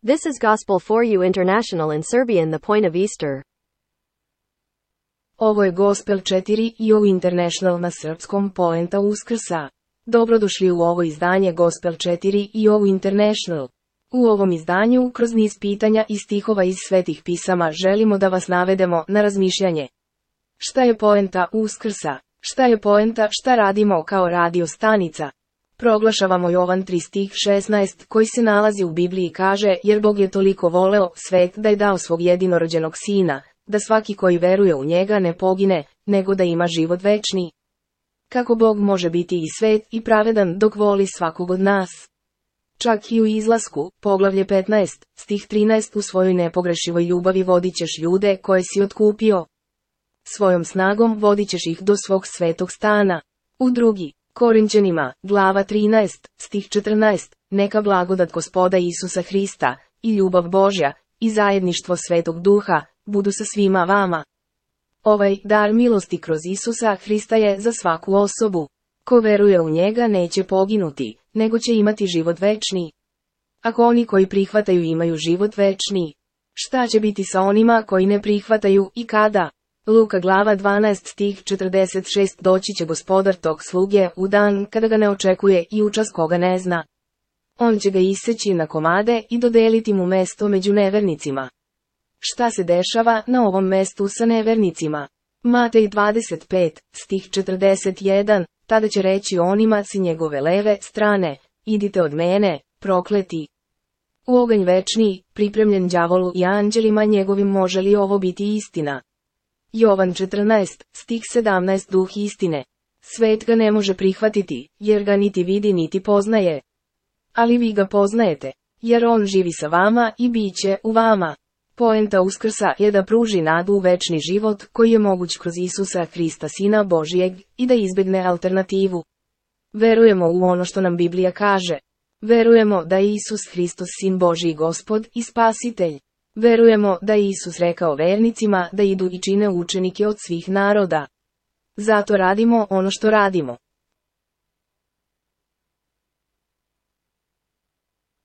This is Gospel for You International in Serbian, the point of Easter. Ovo je Gospel 4 You International na srpskom, poenta Uskrsa. Dobrodošli u ovo izdanje Gospel 4 You International. U ovom izdanju, kroz niz pitanja i stihova iz svetih pisama, želimo da vas navedemo na razmišljanje. Šta je poenta Uskrsa? Šta je poenta, šta radimo kao radio stanica? Proglašavamo Jovan 3 stih 16 koji se nalazi u Bibliji i kaže, jer Bog je toliko voleo svet da je dao svog jedinorođenog sina, da svaki koji veruje u njega ne pogine, nego da ima život večni. Kako Bog može biti i svet i pravedan dok voli svakog od nas? Čak i u Izlasku, poglavlje 15, stih 13 u svojoj nepogrešivoj ljubavi vodit ćeš ljude koje si otkupio. Svojom snagom vodit ćeš ih do svog svetog stana. U drugi Korinćanima, glava 13, stih 14, neka blagodat Gospoda Isusa Hrista, i ljubav Božja, i zajedništvo Svetog Duha, budu sa svima vama. Ovaj dar milosti kroz Isusa Hrista je za svaku osobu. Ko veruje u njega neće poginuti, nego će imati život večni. Ako oni koji prihvataju imaju život večni, šta će biti sa onima koji ne prihvataju i kada? Luka glava 12 stih 46 Doći će gospodar tog sluge u dan kada ga ne očekuje i u čas koga ne zna. On će ga iseći na komade i dodeliti mu mesto među nevernicima. Šta se dešava na ovom mestu sa nevernicima? Matej 25 stih 41 Tada će reći onima s njegove leve strane, idite od mene, prokleti. U oganj večni, pripremljen đavolu i anđelima njegovim, može li ovo biti istina? Jovan 14, stih 17 Duh istine. Svet ga ne može prihvatiti, jer ga niti vidi niti poznaje. Ali vi ga poznajete, jer on živi sa vama i bit će u vama. Poenta Uskrsa je da pruži nadu u večni život koji je moguć kroz Isusa Hrista Sina Božijeg i da izbjegne alternativu. Verujemo u ono što nam Biblija kaže. Verujemo da je Isus Hristos Sin Božji Gospod i Spasitelj. Verujemo da je Isus rekao vernicima da idu i čine učenike od svih naroda. Zato radimo ono što radimo.